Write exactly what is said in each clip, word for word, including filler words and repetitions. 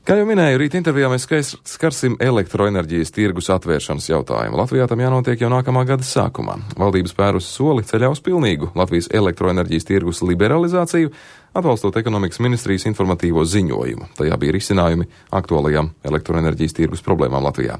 Kā jau minēju, rīt intervijā mēs skarsim elektroenerģijas tirgus atvēršanas jautājumu. Latvijā tam jānotiek jau nākamā gada sākumā. Valdības spērus soli ceļā uz pilnīgu Latvijas elektroenerģijas tirgus liberalizāciju, atbalstot ekonomikas ministrijas informatīvo ziņojumu. Tajā bija risinājumi aktuālajām elektroenerģijas tirgus problēmām Latvijā.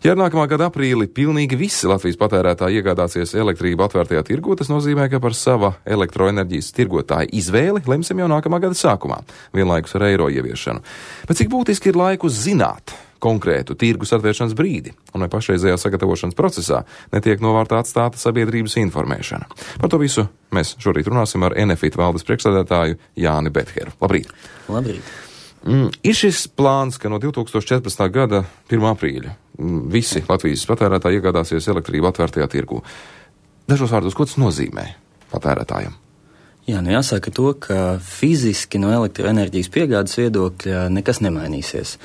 Ja ar nākamā gada aprīli pilnīgi visi Latvijas patērētāji iegādāsies elektrību atvērtajā tirgu, tas nozīmē, ka par sava elektroenerģijas tirgotāja izvēli lemsim jau nākamā gada sākumā, vienlaikus ar eiro ieviešanu. Bet cik būtiski ir laiku zināt konkrētu tirgus atvēršanas brīdi, un vai pašreizējā sagatavošanas procesā netiek novārtā atstāta sabiedrības informēšana. Par to visu mēs šorīt runāsim ar Enefit valdes priekšsēdētāju Jāni Betheru. Labrīt! Labrīt! Mm, ir šis plāns, ka no divi tūkstoši četrpadsmitā gada pirmā aprīļa mm, visi Latvijas patērētāji iegādāsies elektrību atvērtajā tirgu. Dažos vārdos, ko tas nozīmē patērētājiem? Jā, nu jāsaka to, ka fiziski no elektroenerģijas piegādes viedokļa nekas nemainīsies.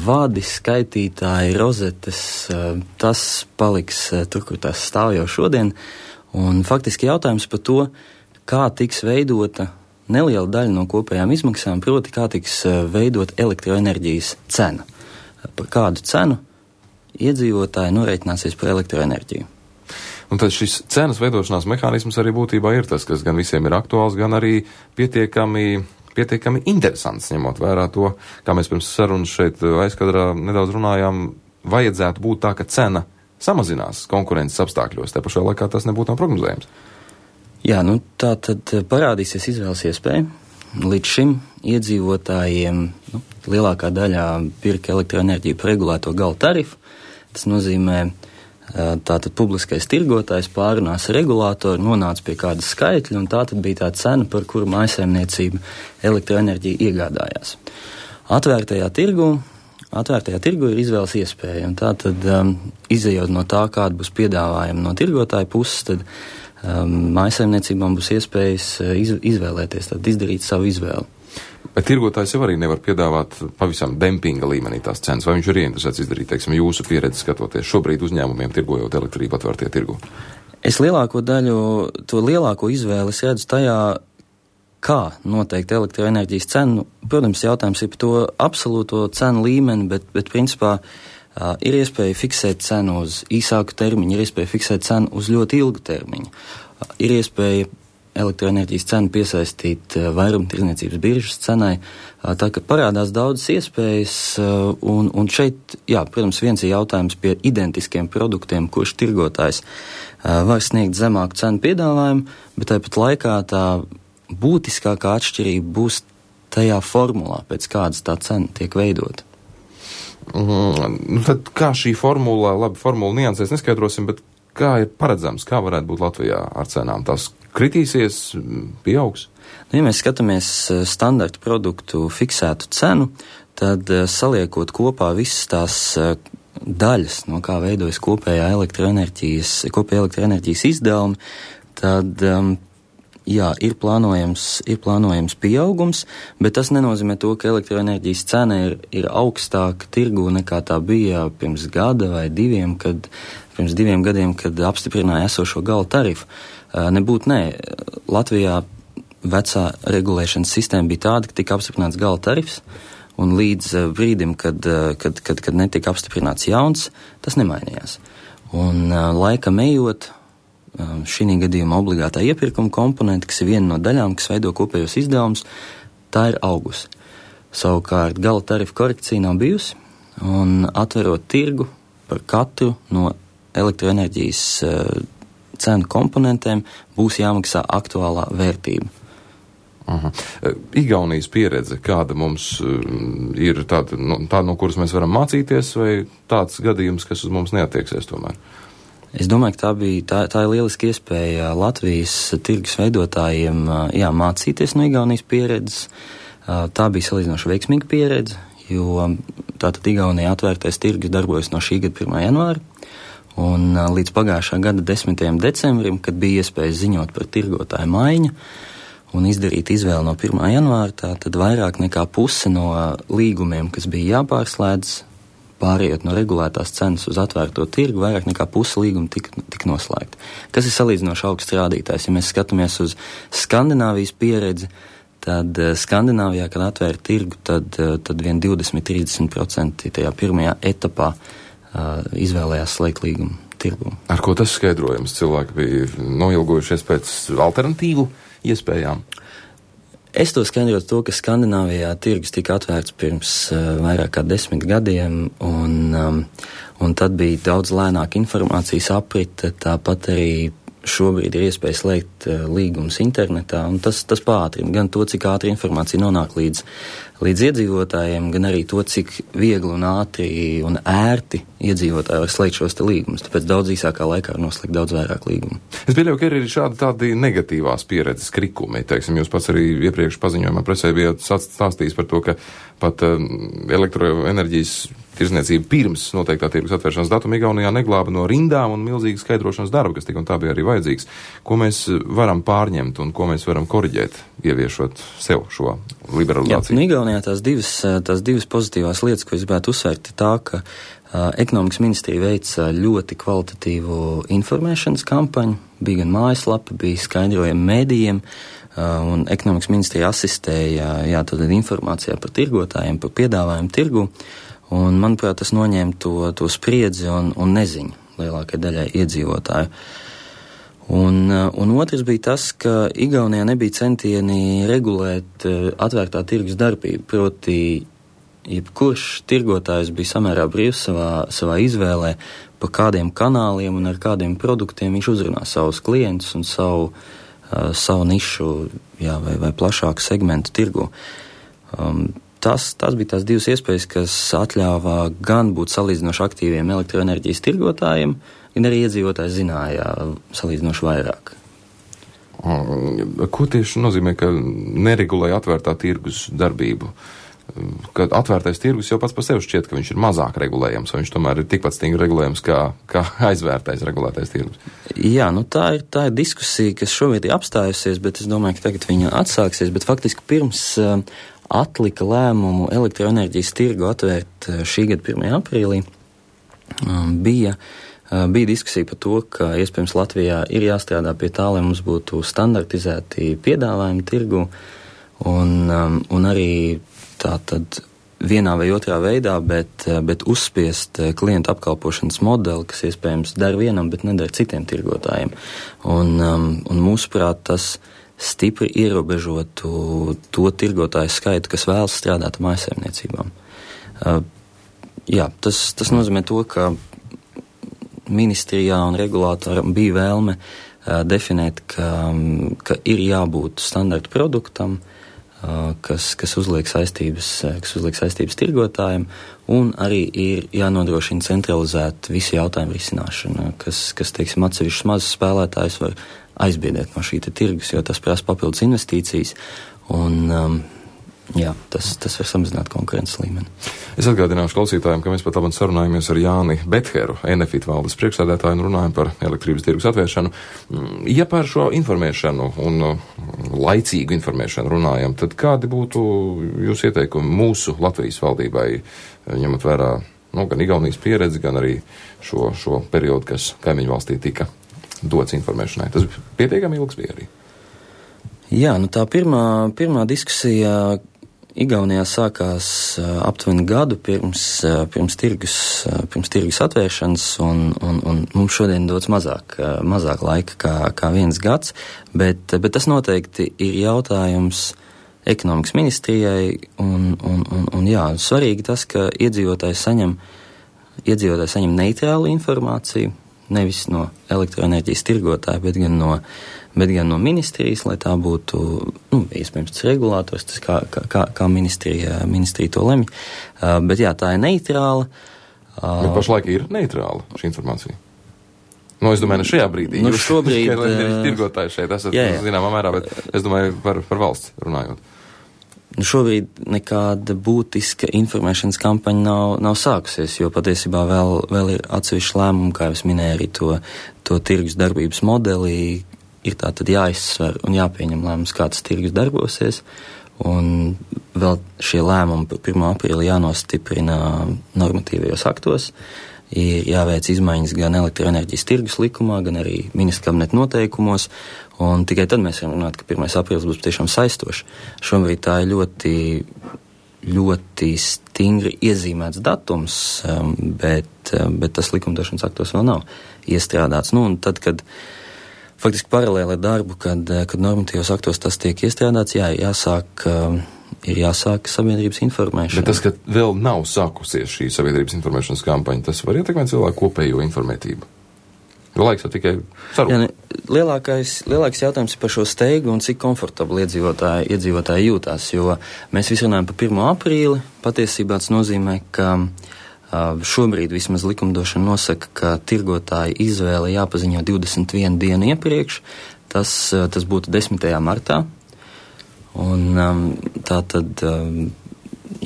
Vādi, skaitītāji, rozetes, tas paliks tur, kur tas stāv jau šodien. Un faktiski jautājums par to, kā tiks veidota neliela daļa no kopējām izmaksām, proti, kā tiks veidot elektroenerģijas cena. Par kādu cenu iedzīvotāji norēķināsies par elektroenerģiju. Un tad šis cenas veidošanās mehānisms arī būtībā ir tas, kas gan visiem ir aktuāls, gan arī pietiekami, pietiekami interesants, ņemot vērā to, kā mēs pirms sarunas šeit aizkadrā nedaudz runājām, vajadzētu būt tā, ka cena samazinās konkurences apstākļos, te pašā laikā tas nebūtu nav prognozējams. Jā, nu tā tad parādīsies izvēles iespēja. Līdz šim iedzīvotājiem nu, lielākā daļā pirka elektroenerģiju par regulēto gala tarifu. Tas nozīmē, tātad publiskais tirgotājs pārunās regulātoru, nonāca pie kāda skaitļa, un tā tad bija tā cena, par kuru mājsaimniecība elektroenerģiju iegādājās. Atvērtajā tirgu, atvērtajā tirgu ir izvēles iespēja, un tā tad um, izejot no tā, kāda būs piedāvājuma no tirgotāja puses, tad Um, mājsaimniecībām būs iespējas iz, izvēlēties, tad izdarīt savu izvēli. Bet tirgotājs jau arī nevar piedāvāt pavisam dempinga līmenī tās cenas, vai viņš ir ieinteresēts izdarīt, teiksim, jūsu pieredzi skatoties šobrīd uzņēmumiem tirgojot elektrību atvērtie tirgu? Es lielāko daļu, to lielāko izvēli es redzu tajā, kā noteikt elektroenerģijas cenu. Protams, jautājums ir par to absolūto cenu līmeni, bet, bet principā Uh, ir iespēja fiksēt cenu uz īsāku termiņu, ir iespēja fiksēt cenu uz ļoti ilgu termiņu. Uh, ir iespēja elektroenerģijas cenu piesaistīt uh, vairumtirdzniecības biržas cenai, uh, tā ka parādās daudzas iespējas, uh, un, un šeit, jā, protams, viens ir jautājums pie identiskiem produktiem, kurš tirgotājs uh, var sniegt zemāku cenu piedāvājumu, bet tāpat laikā tā būtiskākā atšķirība būs tajā formulā, pēc kādas tā cena tiek veidota. Mm, tad kā šī formula, labi, formula niansēs neskaidrosim, bet kā ir paredzams, kā varētu būt Latvijā ar cenām? Tās kritīsies, pieaugs? Nu, ja mēs skatāmies standarta produktu fiksētu cenu, tad saliekot kopā visas tās daļas, no kā veidojas kopējā elektroenerģijas, kopējā elektroenerģijas izdevumi, tad um, jā, ir plānojams, ir plānojams pieaugums, bet tas nenozīmē to, ka elektroenerģijas cena ir, ir augstāka tirgu nekā tā bija pirms gada vai diviem, kad, pirms diviem gadiem, kad apstiprināja esošo gala tarifu. Nebūtu nē. Latvijā vecā regulēšanas sistēma bija tāda, ka tika apstiprināts gala tarifs, un līdz brīdim, kad, kad, kad, kad netika apstiprināts jauns, tas nemainījās. Un laikam ejot, šī gadījumā obligātā iepirkuma komponente, kas ir viena no daļām, kas veido kopējos izdevumus, tā ir augusi. Savukārt gala tarifa korekcija nav bijusi, un atverot tirgu par katru no elektroenerģijas uh, cenu komponentēm būs jāmaksā aktuālā vērtība. Aha. Igaunijas pieredze, kāda mums uh, ir tāda, no, tāda, no kuras mēs varam mācīties, vai tāds gadījums, kas uz mums neatieksies tomēr? Es domāju, ka tā bija, tā, tā ir lieliski iespēja Latvijas tirgus veidotājiem, jā, mācīties no Igaunijas pieredzes. Tā bija salīdzinoši veiksmīga pieredze, jo tātad Igaunijā atvērtais tirgus darbojas no šī gada pirmā janvāra, un līdz pagājušā gada desmitajam decembrim, kad bija iespēja ziņot par tirgotāju maiņu un izdarīt izvēli no pirmā janvāra, tātad vairāk nekā puse no līgumiem, kas bija jāpārslēdz, pārējot no regulētās cenas uz atvērto tirgu, vairāk nekā pusi līguma tika, tika noslēgta. Kas ir salīdzinoši augsts rādītājs? Ja mēs skatāmies uz Skandināvijas pieredzi, tad Skandināvijā, kad atvēra tirgu, tad, tad vien divdesmit līdz trīsdesmit procenti tajā pirmajā etapā uh, izvēlējās slēgt līgumu tirgu. Ar ko tas skaidrojams? Cilvēki bija noilgojušies pēc alternatīvu iespējām? Es to skaidrotu to, ka Skandināvijā tirgus tika atvērts pirms uh, vairāk kā desmit gadiem, un, um, un tad bija daudz lēnāka informācijas aprite, tāpat arī šobrīd ir iespēja slēgt uh, līgumus internetā, un tas, tas pātrina gan to, cik ātri informācija nonāk līdz, līdz iedzīvotājiem, gan arī to, cik viegli un ātri un ērti iedzīvotāji var slēgt šos te līgumus. Tāpēc daudz īsākā laikā var noslēgt daudz vairāk līgumu. Es pieļauju, ka ir arī šādi tādi negatīvās pieredzes krikumi. Teiksim, jūs pats arī iepriekš paziņojumā presē bijāt stāstījis par to, ka pat uh, elektroenerģijas tirzniecība pirms noteiktā tirgus atvēršanas datuma Igaunijā neglāba no rindām un milzīgas skaidrošanas darba, kas tik un tā bija arī vajadzīgs. Ko mēs varam pārņemt un ko mēs varam koriģēt, ieviešot sev šo liberalizāciju? Jā, nu Igaunijā tās divas, tās divas pozitīvās lietas, ko es gribētu uzsvērt, ir tā, ka uh, ekonomikas ministrija veica ļoti kvalitatīvu informēšanas kampaņu, bija gan mājaslapa, bija skaidrojumi mēdījiem, uh, un ekonomikas ministrija asistēja, jā, tad informācijā par tirgotājiem, par piedāvājumu tirgu. Un, manuprāt, tas noņēma to, to spriedzi un, un neziņu lielākai daļai iedzīvotāju. Un, un otrs bija tas, ka Igaunijā nebija centieni regulēt atvērtā tirgus darbību, proti, jebkurš tirgotājs bija samērā brīvs savā, savā izvēlē, pa kādiem kanāliem un ar kādiem produktiem viņš uzrunā savus klientus un savu, uh, savu nišu, jā, vai, vai plašāku segmentu tirgu. Um, Tas, tas bija tās divas iespējas, kas atļāva gan būt salīdzinoši aktīviem elektroenerģijas tirgotājiem, gan arī iedzīvotāji zināja salīdzinoši vairāk. Ko tieši nozīmē, ka neregulēja atvērtā tirgus darbību? Kad atvērtais tirgus jau pats par sevi šķiet, ka viņš ir mazāk regulējams, vai viņš tomēr ir tikpat stingri regulējams kā, kā aizvērtais regulētais tirgus? Jā, nu tā ir, tā ir diskusija, kas šobrīd ir apstājusies, bet es domāju, ka tagad viņa atsāksies, bet faktiski pirms uh, atlika lēmumu elektroenerģijas tirgu atvērt šī gada pirmajā aprīlī, bija, bija diskusija par to, ka iespējams Latvijā ir jāstrādā pie tā, lai mums būtu standartizēti piedāvājumi tirgu un, un arī tā tad vienā vai otrā veidā, bet, bet uzspiest klientu apkalpošanas modeli, kas iespējams dar vienam, bet nedara citiem tirgotājiem. Un, un mūsuprāt, tas stipri ierobežotu to tirgotāju skaitu, kas vēlas strādāt ar mājsaimniecībām. Uh, jā, tas, tas nozīmē to, ka ministrijā un regulātoram bija vēlme uh, definēt, ka, ka ir jābūt standarta produktam, uh, kas, kas uzliek saistības, kas uzliek saistības tirgotājiem, un arī ir jānodrošina centralizēt visu jautājumu risināšanu, kas, kas teiksim, atsevišķus mazus spēlētājus var aizbiedēt no šī te tirgus, jo tas prasa papildus investīcijas, un um, jā, tas, tas var samazināt konkurences līmeni. Es atgādināšu klausītājiem, ka mēs pat labāk sarunājamies ar Jāni Betheru, Enefit valdes priekšsēdētāju, un runājam par elektrības tirgus atvēršanu. Ja par šo informēšanu un laicīgu informēšanu runājam, tad kādi būtu jūsu ieteikumi mūsu Latvijas valdībai, ņemot vērā nu, gan Igaunijas pieredzi, gan arī šo, šo periodu, kas kaimiņu valstī tika dots informēšanai. Tas pietiekami ilgs bija arī. Jā, nu tā pirmā, pirmā diskusija Igaunijā sākās uh, aptuveni gadu pirms, uh, pirms, tirgus, uh, pirms tirgus atvēršanas, un, un, un mums šodien dots mazāk, uh, mazāk laika kā, kā viens gads, bet, bet tas noteikti ir jautājums ekonomikas ministrijai, un, un, un, un jā, svarīgi tas, ka iedzīvotāji saņem, iedzīvotāji saņem neitrālu informāciju, nevis no elektroenerģijas tirgotāja, bet gan no, bet gan no ministrijas, lai tā būtu, nu, iespējams, tas regulātors, tas kā, kā, kā ministrija, ministrija to lemj. Uh, bet jā, tā ir neitrāla. Uh, bet pašlaik ir neitrāla šī informācija? Nu, es domāju, ne šajā brīdī. Nu, šobrīd... Jūs tirgotāji šeit esat, jā, jā. zināmā mērā, bet es domāju par, par valsts runājot. Nu, šobrīd nekāda būtiska informēšanas kampaņa nav, nav sākusies, jo patiesībā vēl, vēl ir atsevišķi lēmumi, kā jau es minēju, arī to, to tirgus darbības modelī ir tā tad jāizsver un jāpieņem lēmums, kā tas tirgus darbosies, un vēl šie lēmumi par pirmā aprīli jānostiprina normatīvajos aktos, ir jāveic izmaiņas gan elektroenerģijas tirgus likumā, gan arī ministra kabineta noteikumos, un tikai tad mēs varam runāt, ka pirmais aprīlis būs tiešām saistošs. Šobrīd tā ir ļoti, ļoti stingri iezīmēts datums, bet, bet tas likumdošanas aktos vēl nav iestrādāts. Nu, un tad, kad faktiski paralēli ar darbu, kad, kad normatīvos aktos tas tiek iestrādāts, jā, jāsāk, ir jāsāk sabiedrības informēšana. Bet tas, ka vēl nav sākusies šī sabiedrības informēšanas kampaņa, tas var ietekmēt cilvēku kopējo informētību? Jo laiks jau tikai saruna. Jā, lielākais, lielākais jautājums ir par šo steigu un cik komfortabli iedzīvotāji, iedzīvotāji jūtās, jo mēs visi runājam par pirmo aprīli, patiesībā tas nozīmē, ka šobrīd vismaz likumdošana nosaka, ka tirgotāji izvēle jāpaziņo divdesmit vienu dienu iepriekš, tas, tas būtu desmitajā martā, un tā tad,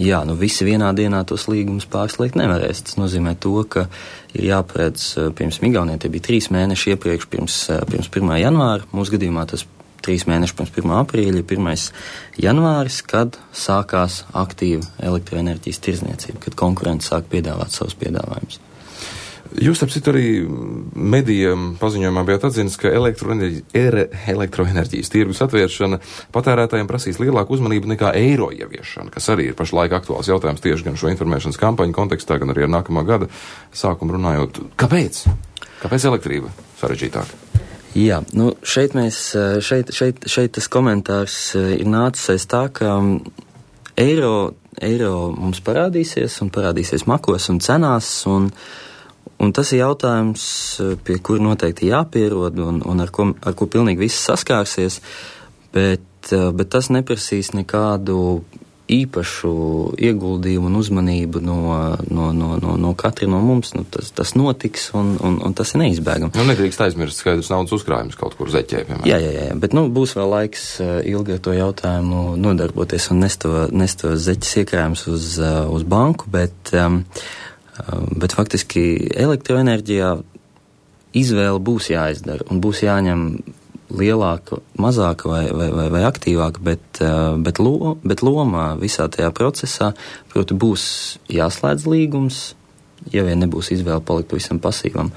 jā, nu visi vienā dienā tos līgumus pārslēgt nevarēs. Tas nozīmē to, ka ir jāparedz, pirms Igaunijā tie bija trīs mēneši iepriekš, pirms, pirms pirmā janvāra, mūsu gadījumā tas trīs mēneši pirms pirmā aprīļa, pirmais janvāris, kad sākās aktīva elektroenerģijas tirzniecība, kad konkurenti sāk piedāvāt savus piedāvājumus. Jūs, ap citu, arī medijam paziņojumā bijāt atzinis, ka elektroenerģijas, elektroenerģijas tirgus atvēršana patērētājiem prasīs lielāku uzmanību nekā eiro ieviešana, kas arī ir pašlaik aktuāls jautājums tieši gan šo informēšanas kampaņu kontekstā, gan arī ar nākamā gada sākumu runājot. Kāpēc? Kāpēc elektrība sarežģītāka? Jā, nu šeit mēs, šeit, šeit, šeit tas komentārs ir nācis aiz tā, ka eiro, eiro mums parādīsies un parādīsies makos un cenās, un, un tas ir jautājums, pie kura noteikti jāpierod un, un ar, ko, ar ko pilnīgi viss saskārsies, bet, bet tas neprasīs nekādu īpašu ieguldījumu un uzmanību no, no, no, no, no katra no mums. Nu, tas, tas notiks un, un, un tas ir neizbēgami. Nu, nedrīkst aizmirst skaidrs naudas uzkrājums kaut kur zeķē, piemēram. Jā, jā, jā, bet nu, būs vēl laiks ilgi ar to jautājumu nodarboties un nest to, nest to zeķes iekrājums uz, uz banku, bet, bet faktiski elektroenerģijā izvēle būs jāizdara un būs jāņem lielāka, mazāka vai, vai, vai, vai aktīvāka, bet, bet, lo, bet lomā visā tajā procesā, proti, būs jāslēdz līgums, ja vien nebūs izvēle palikt pavisam pasīvam.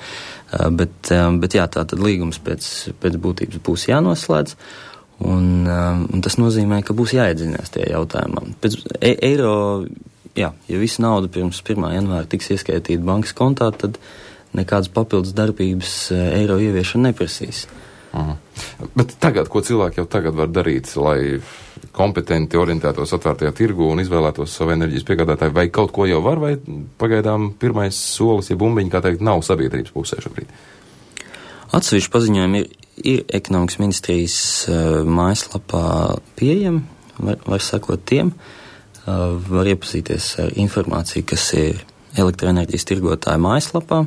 Bet, bet jā, tā tad līgums pēc, pēc būtības būs jānoslēdz, un, un tas nozīmē, ka būs jāiedzinās tajā jautājumā. Pēc e, eiro, jā, ja visa nauda pirms pirmā janvāra tiks ieskaitīta bankas kontā, tad nekādas papildus darbības eiro ieviešana neprasīs. Aha. Bet tagad, ko cilvēki jau tagad var darīt, lai kompetenti orientētos atvērtajā tirgu un izvēlētos savu enerģijas piegādātāju, vai kaut ko jau var, vai pagaidām pirmais solis, ja bumbiņi, kā teikt, nav sabiedrības pusē šobrīd? Atsevišķi paziņojumi ir, ir ekonomikas ministrijas uh, mājaslapā pieejami, var, var sakot tiem, uh, var iepazīties ar informāciju, kas ir elektroenerģijas tirgotāja mājaslapā.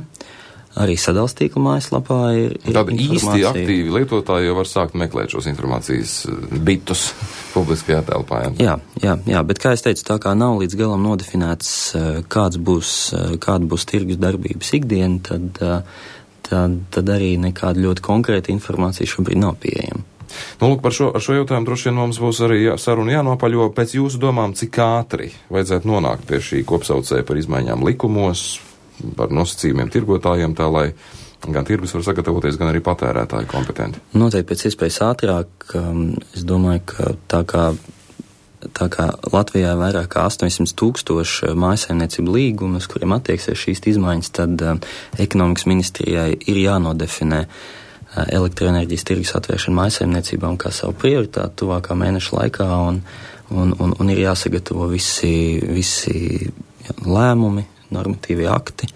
Arī sadalstīkla mājaslapā ir, ir Tāda informācija. Īsti aktīvi lietotāji jau var sākt meklēt šos informācijas bitus publiskajā telpā. Jā, jā, jā, bet kā es teicu, tā kā nav līdz galam nodefinēts, kāds būs, kāda būs tirgus darbības ikdiena, tad, tad, tad arī nekāda ļoti konkrēta informācija šobrīd nav pieejama. Nu, lūk, par šo, ar šo jautājumu droši vien mums būs arī jā, saruna jānopaļo. Pēc jūsu domām, cik ātri vajadzētu nonākt pie šī kopsaucēja par izmaiņām likumos, par nosacījumiem tirgotājiem, tā lai gan tirgus var sagatavoties, gan arī patērētāji kompetenti? Noteikti pēc iespējas ātrāk. Es domāju, ka tā kā, tā kā Latvijā ir vairāk kā astoņsimt tūkstoši mājsaimniecību līgumu, uz kuriem attieksies šīs izmaiņas, tad ekonomikas ministrijai ir jānodefinē elektroenerģijas tirgus atvēršana mājsaimniecībām kā savu prioritāti tuvākā mēneša laikā, un, un, un, un ir jāsagatavo visi, visi lēmumi, normatīvie akti,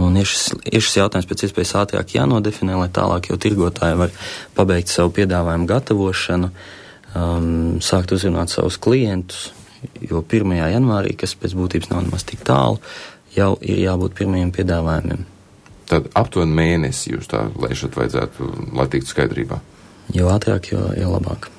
un ir šis, ir šis jautājums pēc iespējas ātrāk jānodefinē, lai tālāk jau tirgotāji var pabeigt savu piedāvājumu gatavošanu, um, sākt uzrunāt savus klientus, jo pirmajā janvārī, kas pēc būtības nav nemaz tik tālu, jau ir jābūt pirmajiem piedāvājumiem. Tad aptuveni mēnesi jūs tā lēšat vajadzētu, lai tiktu skaidrībā? Jo ātrāk, jo, jo labāk.